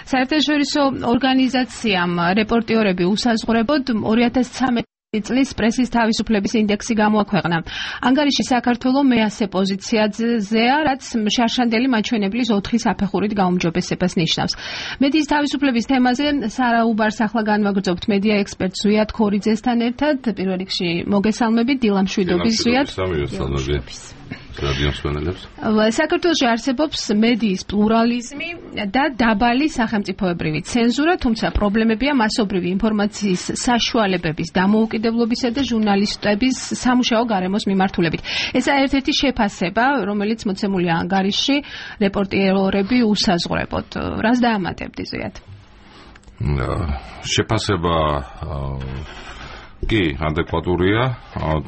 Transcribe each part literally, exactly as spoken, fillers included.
საერთაშორისო ორგანიზაციამ რეპორტიორები უსაზღვრებოდ ორი ათას ცხრამეტი წლის პრესის თავისუფლების ინდექსი გამოაქვეყნა. ანგარიში საქართველოს მეათე პოზიციაზეა, რაც შარშანდელი მაჩვენებლის ოთხი საფეხურით გაუმჯობესებას ნიშნავს. მედიის თავისუფლების თემაზე სარაუბარს ახლა განვაგრძობთ მედია ექსპერტ ზვიად ქორიძესთან ერთად. პირველ რიგში მოგესალმებით დილა მშვიდობის ზვიად. საქართველოში არსებობს მედიის პლურალიზმი და დაბალი სახელმწიფოებრივი ცენზურა, თუმცა პრობლემებია მასობრივი ინფორმაციის საშუალებების დამოუკიდებლობისა და ჟურნალისტების სამუშაო გარემოს მიმართულებით. ესაა ერთ-ერთი შეფასება, რომელიც მოცემულია ანგარიშში რეპორტიორები უსაზღვრებოდ. რას დაამატებდი ზვიად? შეფასება კი, ადეკვატურია,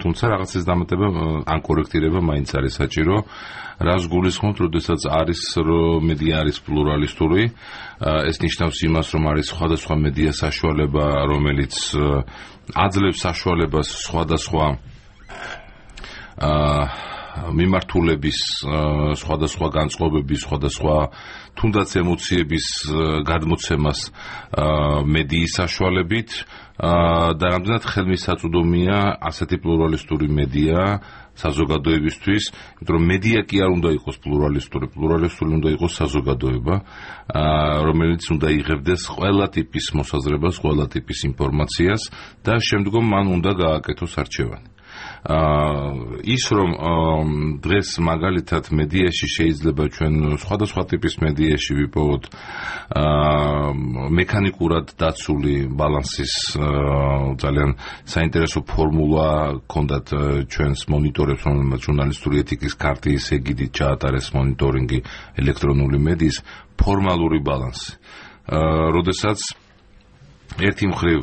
თუმცა რაღაცის დამატება ან კორექტირება მაინც არის საჭირო. რას გულისხმობთ, როდესაც არის მედია არის პლურალისტური, ეს ნიშნავს იმას, რომ არის სხვადასხვა მედია საშუალება, რომელიც აძლევს საშუალებას სხვადასხვა მიმართულების, სხვადასხვა განწყობების, სხვადასხვა თუნდაც ემოციების გადმოცემას მედიის საშუალებით და რამდენად ხელმისაწვდომია ასეთი პლურალისტური მედია საზოგადოებისთვის, იმიტომ რომ მედია კი არ უნდა იყოს პლურალისტური, პლურალისტური უნდა იყოს საზოგადოება, რომელიც უნდა იღებდეს ყველა ტიპის მოსაზრებას, ყველა ტიპის ინფორმაციას და შემდგომ მან უნდა გააკეთოს არჩევანი. ის რომ დღეს მაგალითად მედიაში შეიძლება ჩვენ სხვადასხვა ტიპის მედიაში ვიპოვოთ მექანიკურად დაცული ბალანსის ძალიან საინტერესო ფორმულა ჰქონდათ ჩვენს მონიტორებს, რომელმაც ჟურნალისტური ეთიკის ქარტიის ეგიდით ჩაატარეს მონიტორინგი ელექტრონული მედიის ფორმალური ბალანსი. როდესაც ერთი მხრივ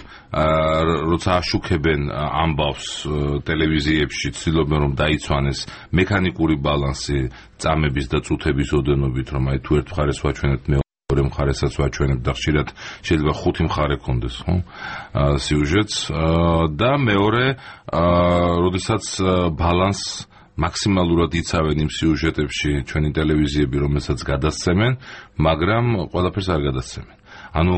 როცა აშუქებენ ამბავს ტელევიზიებში, ცდილობენ რომ დაიცვანეს მექანიკური ბალანსი წამების და წუთების ოდენობით, რომ აი თუ ერთ მხარეს ვაჩვენებთ, მეორე მხარესაც ვაჩვენებთ და ხშირად შეიძლება ხუთი მხარე ქონდეს, ხო? სიუჟეტს და მეორე, როდესაც ბალანს მაქსიმალურად იცავენ იმ სიუჟეტებში ჩვენი ტელევიზიები, რომელსაც გადასცემენ, მაგრამ ყველაფერს არ გადასცემენ. ანუ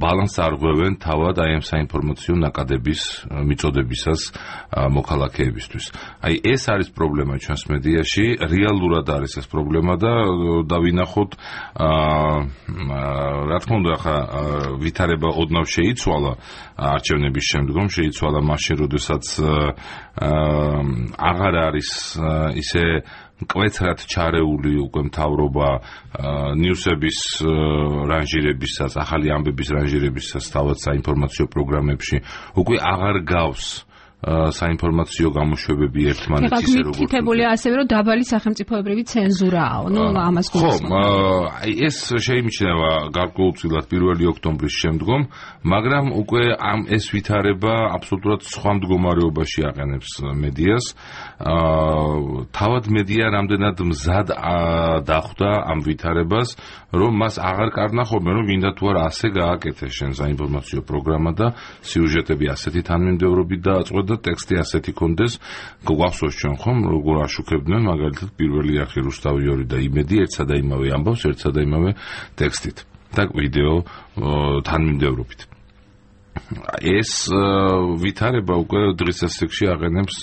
ბალანსს არ ღვევენ თავად აი ამ საინფორმაციო ნაკადების მიწოდებისას მოქალაქეებისთვის. აი ეს არის პრობლემა ჩვენს მედიაში, რეალურად არის ეს პრობლემა და დავინახოთ, რა თქმა უნდა, ახლა ვითარება ოდნავ შეიცვალა არჩევნების შემდგომ, შეიცვალა მაშინ, როდესაც აღარ არის ისე მკვეთრად ჩარეული უკვე მთავრობა ნიუსების რანჟირებისას, ახალი ამბების რანჟირებისას თავად საინფორმაციო პროგრამებში, უკვე აღარ გავს საინფორმაციო გამოშვებები ერთმანეთს ისე როგორც მითითებულია ასევე რომ დაბალი სახელმწიფოებრივი ცენზურაა, ნუ ამას გულისხმობ. ხო, აი ეს შეიმჩნევა გარკვეულწილად პირველი ოქტომბრის შემდგომ, მაგრამ უკვე ამ ეს ვითარება აბსოლუტურად სხვა მდგომარეობაში აყენებს მედიას. თავად მედია რამდენად მზად დახვდა ამ ვითარებას, რომ მას აღარ კარნახობენ, რომ გინდა თუ არა ასე გააკეთე შენ საინფორმაციო პროგრამა და სიუჟეტები ასეთი თანმიმდევრობით დააწყვეტ და ტექსტი ასეთი კონდეს. გვახსოვს ჩვენ ხომ როგორ აშუქებდნენ მაგალითად პირველი არხი რუსთავი და იმედი ერთსა და იმავე ამბავს ერთსა და იმავე ტექსტით და ვიდეო თანმიმდევრობით. ეს ვითარება უკვე დღის ასაკში აყენებს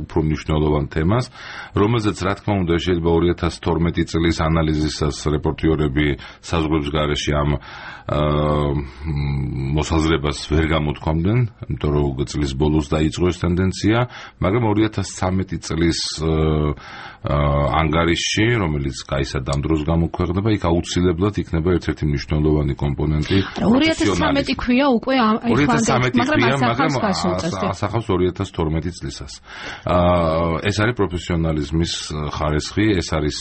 უფრო მნიშვნელოვან თემას, რომელზეც რა თქმა უნდა შეიძლება ორი ათას თორმეტი წლის ანალიზისას რეპორტიორები საზღვრებს გარეშე ამ მოსაზრებას ვერ გამოთქვამდნენ, იმიტომ რომ წლის ბოლოს დაიწყო ეს ტენდენცია, მაგრამ ორი ათას ცხრამეტი წლის ანგარიშში, რომელიც კაისად ამ დროს გამოქვეყნდება, იქ აუცილებლად იქნება ერთ-ერთი მნიშვნელოვანი კომპონენტი. ორი ათას ცხრამეტი ქვია უკვე ორი ათას ცხრამეტი ქვია, მაგრამ ასახავს ორი ათას თორმეტი წლისას. ეს არის პროფესიონალიზმის ხარისხი, ეს არის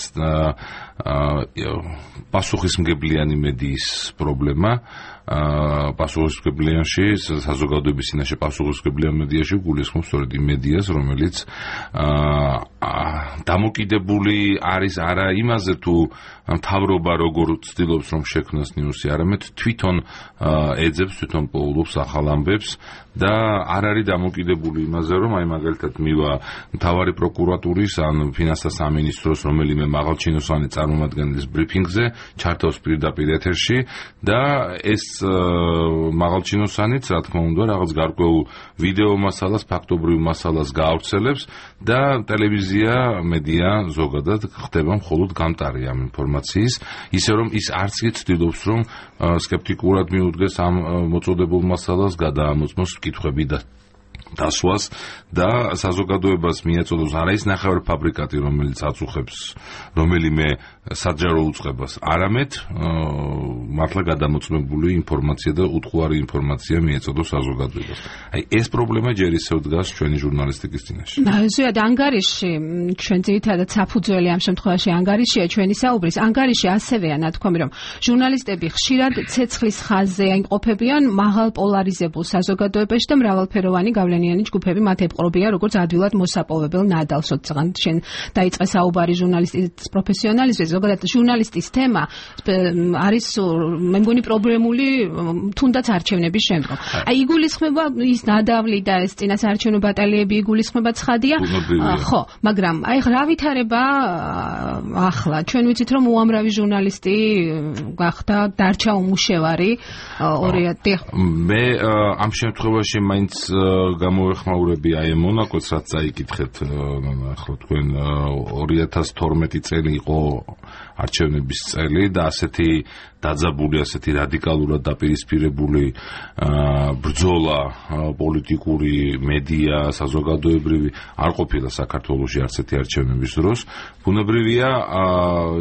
პასუხისმგებლიანი მედიის პრობლემა. პასუხისმგებლიანში, საზოგადოების წინაშე პასუხისმგებლიან მედიაში გულისხმობს სწორედ იმ მედიას, რომელიც დამოკიდებული არის არა იმაზე თუ მთავრობა როგორ ცდილობს რომ შექმნას ნიუსი, არამედ თვითონ ეძებს, თვითონ პოულობს ახალ ამბებს და არ არის დამოკიდებული იმაზე, რომ აი მაგალითად მივა მთავარი პროკურატურის ან ფინანსთა სამინისტროს რომელიმე მაღალჩინოსანი წარმომადგენლის ბრიფინგზე, ჩართავს პირდაპირ ეთერში და ეს მაღალჩინოსანიც, რა თქმა უნდა, რაღაც გარკვეულ ვიდეო მასალას, ფაქტობრივ მასალას გაავრცელებს და ტელევიზია, მედია ზოგადად ხდება მხოლოდ გამტარი ამ ინფორმაციის, ისე რომ ის არც კი ცდილობს, რომ სკეპტიკურად მიუდგეს ამ მოწოდებულ მასალას, გადაამოწმოს კითხვები და დასვას და საზოგადოებას მიეწოდოს არა ის ნახევარ ფაბრიკატი, რომელიც აწუხებს რომელიმე საჯარო უწყებას, არამედ მართლა გადამოწმებული ინფორმაცია და უთხოვარი ინფორმაცია მიეწოდოს საზოგადოებას. აი ეს პრობლემა ჯერ ისევ დგას ჩვენი ჟურნალისტიკის წინაშე. ზუსტად ანგარიში ჩვენ ძირითადად საფუძველი ამ შემთხვევაში ანგარიშია ჩვენი საუბრის. ანგარიში ასევეა ნათქვამი, რომ ჟურნალისტები ხშირად ცეცხლის ხაზზე იმყოფებიან მაღალ პოლარიზებულ საზოგადოებაში და მრავალფეროვანი გავლენიანი ჯგუფები მათ ებყრობიან როგორც ადვილად მოსაპოვებელ ნადალს. როდესაც შენ დაიწყე საუბარი ჟურნალისტის პროფესიონალიზმზე, ზოგადად ჟურნალისტის თემა არის მე მგონი პრობლემული თუნდაც არჩევნების შემდგომ. აი იგულისხმება ის ნადავლი და ეს წინასაარჩევნო ბატალიები იგულისხმება ცხადია, ხო, მაგრამ აი რა ვითარება ახლა ჩვენ ვიცით რომ უამრავი ჟურნალისტი გახდა დარჩა უმუშევარი ორიათი. მე ამ შემთხვევაში მაინც გამოვეხმაურები აი მონაკოც რაც წაიკითხეთ ახლა თქვენ ორი ათას თორმეტი წელი იყო არჩევნების წელი და ასეთი დაძაბული, ასეთი რადიკალურად დაპირისპირებული ბრძოლა პოლიტიკური, მედია, საზოგადოებრივი არ ყოფილა საქართველოში არც ერთი არჩევნების დროს. ბუნებრივია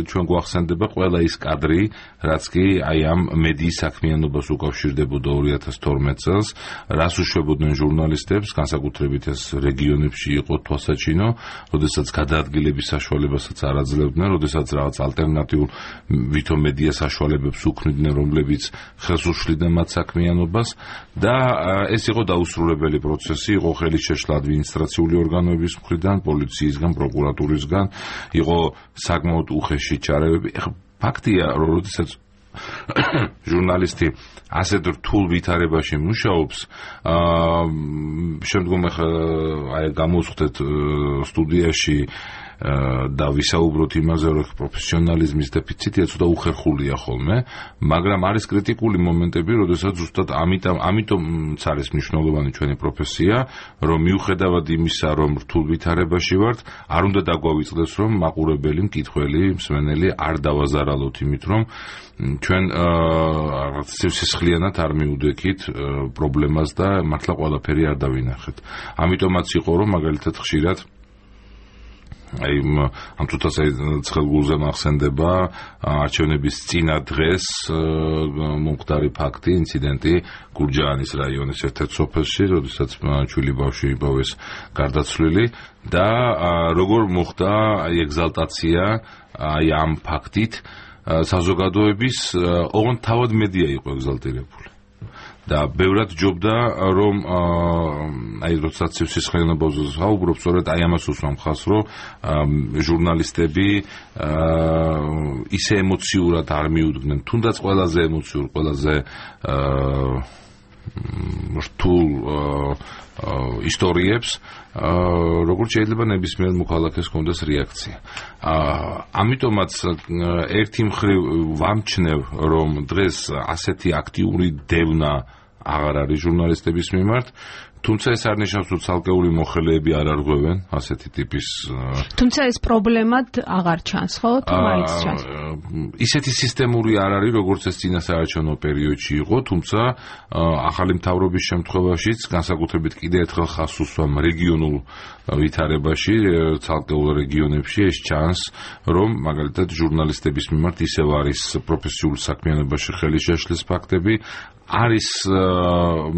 ჩვენ გვახსენდება ყველა ის კადრი, რაც კი აი ამ მედიის საქმიანობას უკავშირდებოდა ორი ათას თორმეტ წელს, რას უშვებოდნენ ჟურნალისტებს, განსაკუთრებით ეს რეგიონებში იყო თვალსაჩინო, როდესაც გადაადგილების საშუალებასაც არ აძლევდნენ, როდესაც რაღაც ალტერნატიულ ვითომ მედია საშუალებებს უქმნიდნენ, რომლებიც ხელს უშლიდნენ მათ საქმიანობას და ეს იყო დაუსრულებელი პროცესი, იყო ხელის შეშლა ადმინისტრაციული ორგანოების მხრიდან, პოლიციისგან, პროკურატურისგან, იყო საკმაოდ უხეში ჩარევები. ფაქტია, რომ როდესაც ჟურნალისტი ასეთ რთულ ვითარებაში მუშაობს, შემდგომ აი გამოვხდეთ სტუდიაში და ვისაუბროთ იმაზე, რომ პროფესიონალიზმის დეფიციტია ცოტა უხერხულია ხოლმე, მაგრამ არის კრიტიკული მომენტები, როდესაც ზუსტად ამიტომ ამიტომაც არის მნიშვნელოვანი ჩვენი პროფესია, რომ მიუხედავად იმისა, რომ რთულ ვითარებაში ვართ, არ უნდა დაგვავიწყდეს, რომ მაყურებელი, მკითხველი, მსმენელი არ დავაზარალოთ იმით, რომ ჩვენ რაღაც სისხლიანად არ მიუდექით პრობლემას და მართლა ყველაფერი არ დავინახეთ. ამიტომაც იყო, რომ მაგალითად ხშირად აი ამ თუთას ცხელგულზე მახსენდება არჩევნების წინა დღეს მომხდარი ფაქტი, ინციდენტი გურჯაანის რაიონის ერთ-ერთ სოფელში, როდესაც ჩვილი ბავშვი იპოვეს გარდაცვლილი და როგორ მოხდა აი ეგზალტაცია აი ამ ფაქტით საზოგადოების, ოღონდ თავად მედია იყო ეგზალტირებული. და ბევრად ჯობდა, რომ აი როდესაც სისხლიანობაზე საუბრობ, სწორედ აი ამას უსვამ ხაზს, რომ ჟურნალისტები ისე ემოციურად არ მიუდგნენ, თუნდაც ყველაზე ემოციურ, ყველაზე რთულ ისტორიებს, როგორც შეიძლება ნებისმიერ მოქალაქეს ჰქონდეს რეაქცია. ამიტომაც ერთი მხრივ ვამჩნევ, რომ დღეს ასეთი აქტიური დევნა აღარ არის ჟურნალისტების მიმართ, თუმცა ეს არ ნიშნავს, რომ ცალკეული მოხელეები არ არღვევენ ასეთი ტიპის. თუმცა ეს პრობლემად აღარ ჩანს, ხო? თუ მაინც ჩანს. ისეთი სისტემური არ არის, როგორც ეს წინასაარჩევნო პერიოდში იყო, თუმცა ახალი მთავრობის შემთხვევაშიც განსაკუთრებით კიდევ ერთხელ ხაზს უსვამ რეგიონულ ვითარებაში, ცალკეულ რეგიონებში ეს ჩანს, რომ მაგალითად ჟურნალისტების მიმართ ისევ არის პროფესიულ საქმიანობაში ხელი შეშლის ფაქტები, არის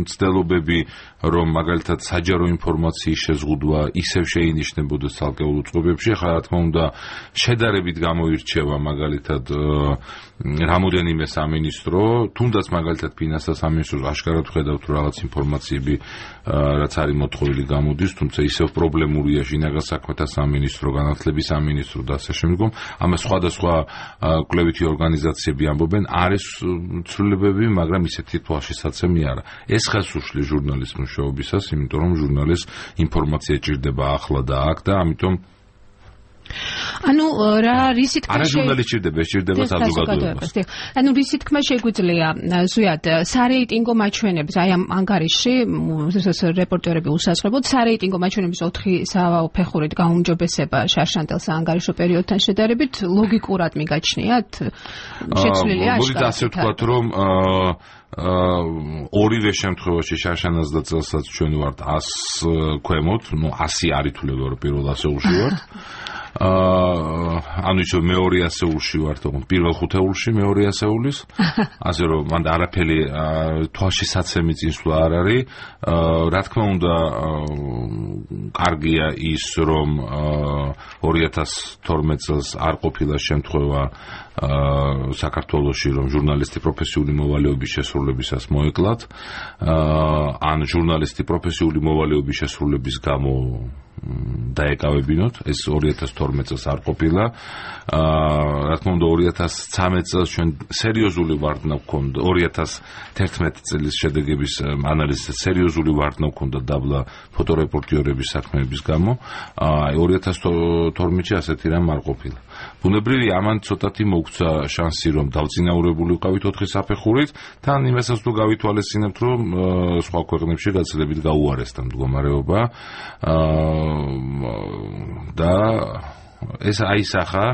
მცდელობები, რომ მაგალითად საჯარო ინფორმაციის შეზღუდვა ისევ შეინიშნებოდეს ცალკეულ უწყობებში. ახლა რა თქმა უნდა შედარებით გამოირჩევა მაგალითად რამოდენიმე სამინისტრო, თუნდაც მაგალითად ფინანსთა სამინისტროს აშკარად ვხედავთ, რომ რაღაც ინფორმაციები რაც არის მოთხოვილი გამოდის, თუმცა ისევ პრობლემურია შინაგან საქმეთა სამინისტრო, განათლების სამინისტრო და ასე შემდგომ. ამას სხვადასხვა კვლევითი ორგანიზაციები ამბობენ, არის ცვლილებები, მაგრამ ისეთი თვალშისაცემი არა. ეს ხელს უშლის ჟურნალისტ მუშაობისას, იმიტომ რომ ჟურნალისტს ინფორმაცია ჭირდება ახლა და აქ და ამიტომ ანუ რა რისი თქმა არა ჟურნალისტი ჭირდება, ჭირდება საზოგადოებას. ანუ რისი თქმა შეგვიძლია ზუსტად სარეიტინგო მაჩვენებს, აი ამ ანგარიში რეპორტერები უსაზღვრებოდ სარეიტინგო მაჩვენების ოთხი საფეხურით გაუმჯობესება შარშანტელს ანგარიშო პერიოდთან შედარებით ლოგიკურად მიგაჩნიათ? შეცვლილია აშკარად. მოდით ასე ვთქვათ, რომ ორივე შემთხვევაში შარშანას და წელსაც ჩვენ ვართ ას ქვემოთ, ну ასი არ ითვლება, რომ პირველ ასეულში ვართ. ანუ ისე მეორე ასეულში ვართ, თქო, პირველ ხუთეულში მეორე ასეულის. ასე რომ მან არაფერი თვალში საცემი წინსვლა არ არის. რა თქმა უნდა, კარგია ის, რომ ორი ათას თორმეტ წელს არ ყოფილა შემთხვევა საქართველოში, რომ ჟურნალისტი პროფესიული მოვალეობის შესრულებისას მოეკლათ, ან ჟურნალისტი პროფესიული მოვალეობის შესრულების გამო დაეკავებინოთ, ეს ორი ათას თორმეტ წელს არ ყოფილა. რა თქმა უნდა, ორი ათას ცხრამეტ წელს ჩვენ სერიოზული ვარდნა გვქონდა, ორი ათას თერთმეტ წლის შედეგების ანალიზის სერიოზული ვარდნა გვქონდა დაბლა ფოტორეპორტიორების საქმეების გამო. აი ორი ათას თორმეტში ასეთი რამ არ ყოფილა. ბუნებრივია, ამან ცოტათი მოგცა შანსი, რომ დავწინაურებული ვიყავით ოთხი საფეხურით, თან იმასაც თუ გავითვალისწინებთ, რომ სხვა ქვეყნებში გაცილებით გაუარესდა მდგომარეობა და ეს აისახა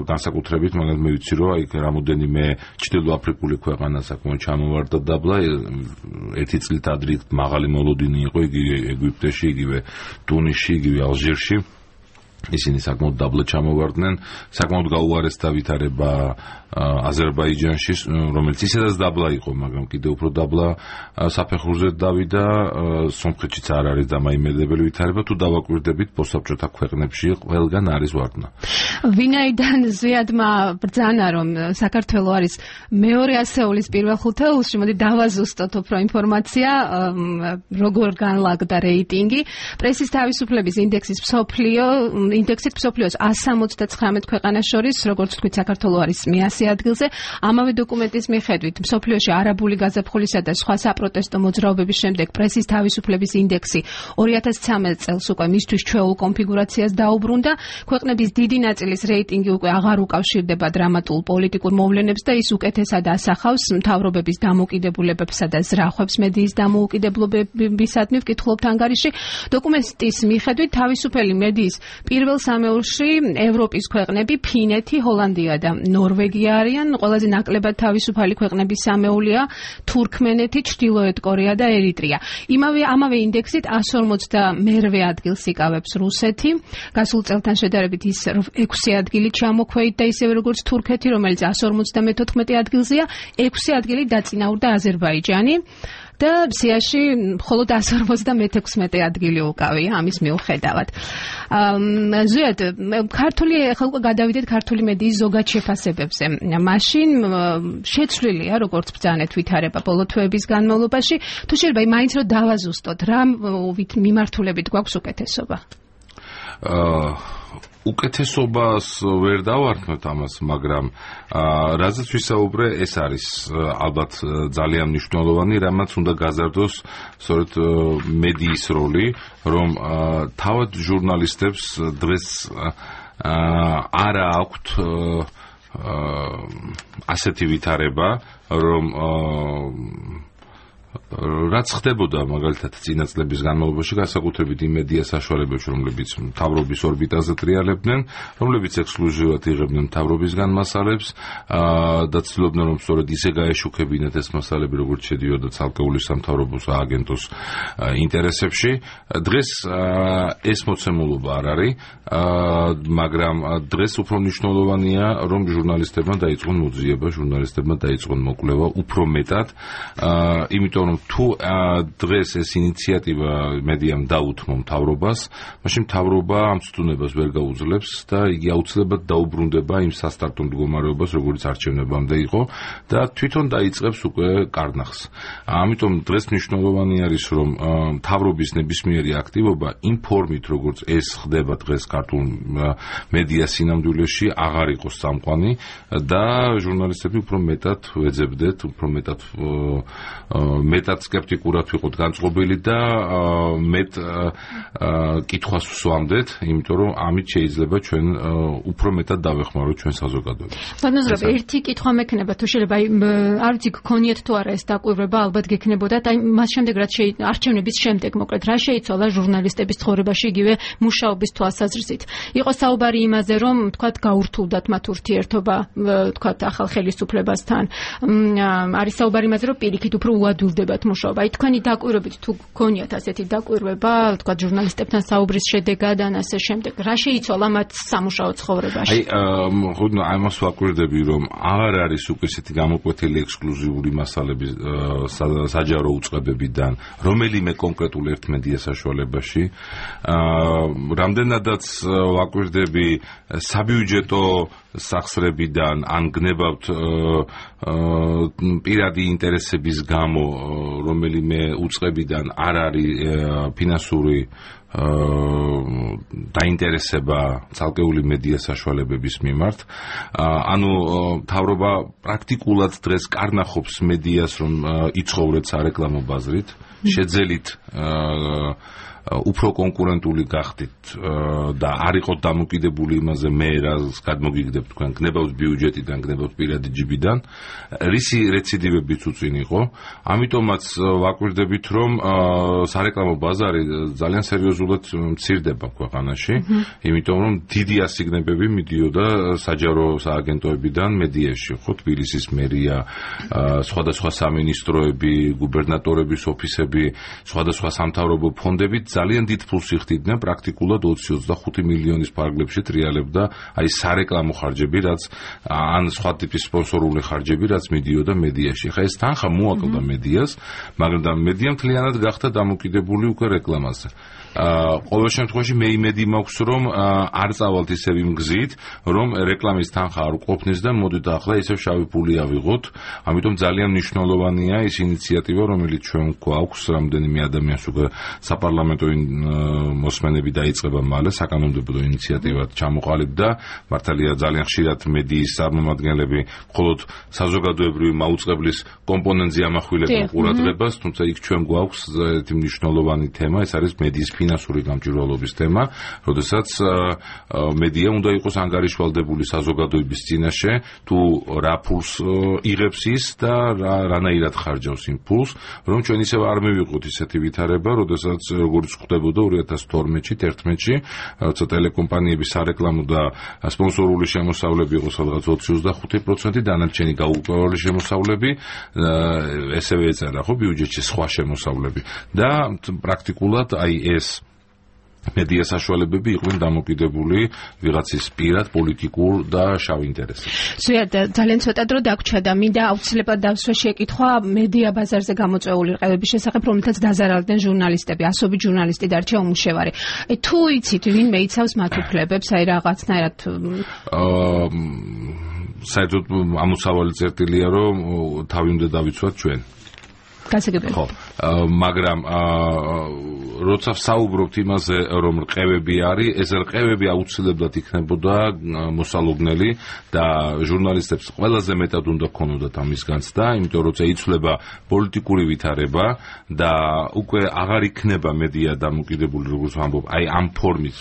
განსაკუთრებით, მაგრამ მე ვიცი, რომ აი რამოდენიმე ჩრდილოაფრიკული ქვეყანა საკმაოდ ჩამოვარდა დაბლა, ერთი წლით ადრე მაღალი მოლოდინი იყო იგივე ეგვიპტეში, იგივე ტუნისში, იგივე ალჟირში. ისინი საკმაოდ დაბლა ჩამოვარდნენ, საკმაოდ გაუარესდა ვითარება აზერბაიჯანში, რომელიც ისედაც დაბლა იყო, მაგრამ კიდევ უფრო დაბლა საფეხურზე დავიდა. სომხეთშიც არ არის დამაიმედებელი ვითარება, თუ დავაკვირდებით პოსტსაბჭოთა ქვეყნებში ყველგან არის ვარდნა. ვინაიდან ზიადმა ბრძანა, რომ საქართველო არის მეორე ასეულის პირველ ხუთეულში, მოდი დავაზუსტოთ უფრო ინფორმაცია, როგორ განლაგდა რეიტინგი. პრესის თავისუფლების ინდექსის მსოფლიო ინდექსით მსოფლიოს ას სამოცდაცხრამეტ ქვეყანას შორის, როგორც თქვით, საქართველო არის მეასე ადგილზე. ამავე დოკუმენტის მიხედვით, მსოფლიოში არაბული გაზაფხულისა და სხვა საპროტესტო მოძრაობების შემდეგ პრესის თავისუფლების ინდექსი ორი ათას ცხრამეტ წელს უკვე მისთვის ჩვეულ კონფიგურაციას დაუბრუნდა. ქვეყნების დიდი ნაწილის რეიტინგი უკვე აღარ უკავშირდება დრამატულ პოლიტიკურ მოვლენებს და ის უკეთესად ასახავს მთავრობების დამოკიდებულებებსა და ზრახვებს მედიის დამოუკიდებლობებისადმი ვკითხულობთ ანგარიში. დოკუმენტის მიხედვით, თავისუფალი მედიის პირველ სამეულში ევროპის ქვეყნები ფინეთი, ჰოლანდია და ნორვეგია არიან. ყველაზე ნაკლებად თავისუფალი ქვეყნების სამეულია თურქმენეთი, ჩრდილოეთ კორეა და ერიტრეა. იმავე ამავე ინდექსით ას ორმოცდამერვე ადგილს იკავებს რუსეთი. გასულ წელთან შედარებით ის ექვსი ადგილი ჩამოქვეით და ისევე როგორც თურქეთი, რომელიც ას ორმოცდამეთოთხმეტე ადგილზეა, ექვსი ადგილი დაწინაურდა აზერბაიჯანი. და სიაში მხოლოდ ას ორმოცდამეექვსმეტე ადგილი უკავია ამის მიუხედავად. ზუსტად ქართული ახლა უკვე გადავიდეთ ქართული მედიის ზოგად შეფასებებზე. მაშინ შეცვლილია, როგორც ბრძანეთ ვითარება ბოლო თვეების განმავლობაში, თუ შეიძლება მაინც რომ დავაზუსტოთ, რა მიმართულებით გვაქვს უკეთესობა? უკეთესობას ვერ დავართმევთ ამას, მაგრამ რაზეც ვისაუბრე, ეს არის ალბათ ძალიან მნიშვნელოვანი, რამაც უნდა გაზარდოს სწორედ მედიის როლი, რომ თავად ჟურნალისტებს დღეს არა აქვთ ასეთი ვითარება, რომ რაც ხდებოდა მაგალითად წინა წლების განმავლობაში, განსაკუთრებით იმ მედია საშუალებებში, რომლებიც მთავრობის ორბიტაზე ტრიალებდნენ, რომლებიც ექსკლუზივად იღებდნენ მთავრობისგან მასალებს და ცდილობდნენ, რომ სწორედ ისე გაეშუქებინათ ეს მასალები, როგორც შედიოდა ცალკეული სამთავრობო სააგენტოს ინტერესებში. დღეს ეს მოცემულობა არ არის, მაგრამ დღეს უფრო მნიშვნელოვანია, რომ ჟურნალისტებმა დაიწყონ მოძიება, ჟურნალისტებმა დაიწყონ მოკვლევა უფრო მეტად, იმიტომ რომ თუ დღეს ეს ინიციატივა მედიამ დაუთმო მთავრობას, მაშინ მთავრობა ამ ცდუნებას ვერ გაუძლებს და იგი აუცილებლად დაუბრუნდება იმ სასტარტო მდგომარეობას, როგორც არჩევნებამდე იყო და თვითონ დაიწყებს უკვე კარნახს. ამიტომ დღეს მნიშვნელოვანი არის, რომ მთავრობის ნებისმიერი აქტივობა იმ ფორმით, როგორც ეს ხდება დღეს ქართულ მედია სინამდვილეში, აღარ იყოს წამყვანი და ჟურნალისტები უფრო მეტად ვეძებდეთ, უფრო მეტად მეტად სკეპტიკურად ვიყოთ განწყობილი და მეტ კითხვას ვსვამდეთ, იმიტომ რომ ამით შეიძლება ჩვენ უფრო მეტად დავეხმაროთ ჩვენ საზოგადოებას. ბატონო, ერთი კითხვა მექნება, თუ შეიძლება, არ ვიცი, გქონიათ თუ არა ეს დაკვირვება, ალბათ გექნებოდა და მას შემდეგ რაც არჩევნების შემდეგ, მოკლედ, რა შეიცვალა ჟურნალისტების ცხოვრებაში იგივე მუშაობის თვალსაზრისით. იყო საუბარი იმაზე, რომ თქვათ გაურთულდათ მათ ურთიერთობა, თქვათ ახალ ხელისუფლებასთან. არის საუბარი იმაზე, რომ პირიქით უფრო უადვილდებათ მუშაობა. აი თქვენი დაკვირვებით თუ გქონიათ ასეთი დაკვირვება, თქვათ ჟურნალისტებთან საუბრის შედეგად ან ასე შემდეგ, რა შეიცვალა მათ სამუშაო ცხოვრებაში? აი, ხოდნო ამას ვაკვირდები, რომ აღარ არის უკვე ესეთი გამოკვეთილი ექსკლუზიური მასალები საჯარო უწყებებიდან, რომელიმე კონკრეტულ ერთ მედია საშუალებაში. რამდენადაც ვაკვირდები საბიუჯეტო სახსრებიდან ან გნებავთ პირადი ინტერესების გამო, რომელიმე უწყებიდან არ არის ფინანსური დაინტერესება ცალკეული მედია საშუალებების მიმართ. ანუ მთავრობა პრაქტიკულად დღეს კარნახობს მედიას, რომ იცხოვრეთ სარეკლამო ბაზრით, შეძელით უფრო კონკურენტული გახდით და არ იყოთ დამოკიდებული იმაზე, მე რას გადმოგიგდებთ თქვენ, გნებავთ ბიუჯეტიდან, გნებავთ პირადი ჯიბიდან, რისი რეციდივებიც უწინ იყო. ამიტომაც ვაკვირდებით, რომ სარეკლამო ბაზარი ძალიან სერიოზულად მცირდება ქვეყანაში, იმიტომ რომ დიდი ასიგნებები მიდიოდა საჯარო სააგენტოებიდან მედიაში, ხო, თბილისის მერია, სხვადასხვა სამინისტროები, გუბერნატორების ოფისები, სხვადასხვა სამთავრობო ფონდები ძალიან დიდ ფულს იხდიდნენ, პრაქტიკულად ოცი ოცდახუთი მილიონის ფარგლებში ტრიალებდა აი სარეკლამო ხარჯები, რაც ან სხვა ტიპის სპონსორული ხარჯები, რაც მიდიოდა მედიაში. ხა ეს თანხა მოაკლდა მედიას, მაგრამ მედია მთლიანად გახდა დამოკიდებული უკვე რეკლამაზე. ყოველ შემთხვევაში მე იმედი მაქვს, რომ არ წავალთ ისევ იმ გზით, რომ რეკლამის თანხა არ ყოფნის და მოდით ახლა ისევ შავი ფული ავიღოთ. ამიტომ ძალიან მნიშვნელოვანია ის ინიციატივა, რომელიც ჩვენ გვაქვს, რამდენიმე ადამიანს უკვე საპარლამენტო მოსმენები დაიწყება მალე, საკანონმდებლო ინიციატივად ჩამოყალიბდა. მართალია ძალიან ხშირად მედიის წარმომადგენლები მხოლოდ საზოგადოებრივი მაუწყებლის კომპონენტზე ამახვილებენ ყურადღებას, თუმცა იქ ჩვენ გვაქვს ერთი მნიშვნელოვანი თემა, ეს არის მედიის ფინანსური გამჭვირვალობის თემა, როდესაც მედია უნდა იყოს ანგარიშვალდებული საზოგადოების წინაშე, თუ რა ფულს იღებს ის და რანაირად ხარჯავს იმ ფულს, რომ ჩვენ ისევ არ მივიღოთ ისეთი ვითარება, როდესაც როგორც ხდებოდა ორი ათას თორმეტში, ერთმეტში, როცა ტელეკომპანიების სარეკლამო და სპონსორული შემოსავლები იყო სადღაც ოცი ოცდახუთი პროცენტი, დანარჩენი გაურკვეველი შემოსავლები, ესევე ეწერა ხო ბიუჯეტში სხვა შემოსავლები და პრაქტიკულად აი ეს მედია საშუალებები იყვნენ დამოკიდებული ვიღაცის პირად პოლიტიკურ და შავ ინტერესებზე. ზუსტად ძალიან ცოტა დრო დაგვრჩა და მინდა აუცილებლად დავსვე შეკითხვა მედია ბაზარზე გამოწვეული რყევების შესახებ, რომელთაც დაზარალდნენ ჟურნალისტები, ასობით ჟურნალისტი დარჩა უმუშევარი. თუ იცით, ვინმე იცავს მათ უფლებებს, აი რაღაცნაირად საერთოდ ამოსავალი წერტილია, რომ თავი უნდა დავიცვათ ჩვენ. გასაგებია. ხო, მაგრამ როცა საუბრობთ იმაზე, რომ რყევები არის, ეს რყევები აუცილებლად იქნებოდა მოსალოდნელი და ჟურნალისტებს ყველაზე მეტად უნდა ქონოდათ ამის განცდა, იმიტომ რომ როცა იცვლება პოლიტიკური ვითარება და უკვე აღარ იქნება მედია დამოკიდებული, როგორც ვამბობ, აი ამ ფორმის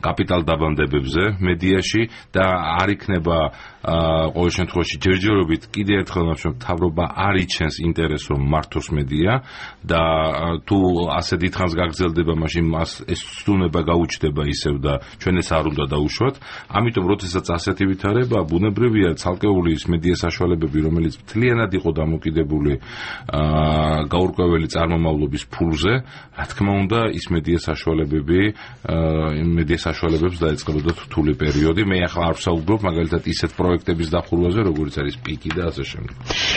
კაპიტალ დაბანდებებზე მედიაში და არ იქნება ყოველ შემთხვევაში ჯერჯერობით კიდე ერთხელ ნახავთ, მთავრობა არ იჩენს ინტერესს რომ მართოს მედია და თუ ასე დიდხანს გაგრძელდება, მაშინ მას ეს ცდუნება გაუჩნდება ისევ და ჩვენ ეს არ უნდა დაუშვათ. ამიტომ როდესაც ასეთი ვითარება, ბუნებრივია ცალკეული ის მედია საშუალებები, რომელიც მთლიანად იყო დამოკიდებული გაურკვეველი წარმომავლობის ფულზე, რა თქმა უნდა, ის მედია საშუალებები მედია საშუალებებს დაეწყებოდა რთული პერიოდი. მე ახლა არ ვსაუბრობ მაგალითად ისეთ პროექტების დახურვაზე, როგორც არის პიკი და ასე შემდეგ.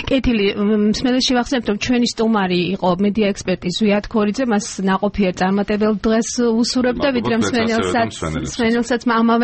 კეთილი, მსმენელში ვახსენებთ, რომ ჩვენი სტუმარი იყო მედია ექსპერტი ზვიად ქორიძე, მას ნაყოფიერ წარმატებელ დღეს უსურვებ და ვიდრე მსმენელსაც, მსმენელსაც ამავე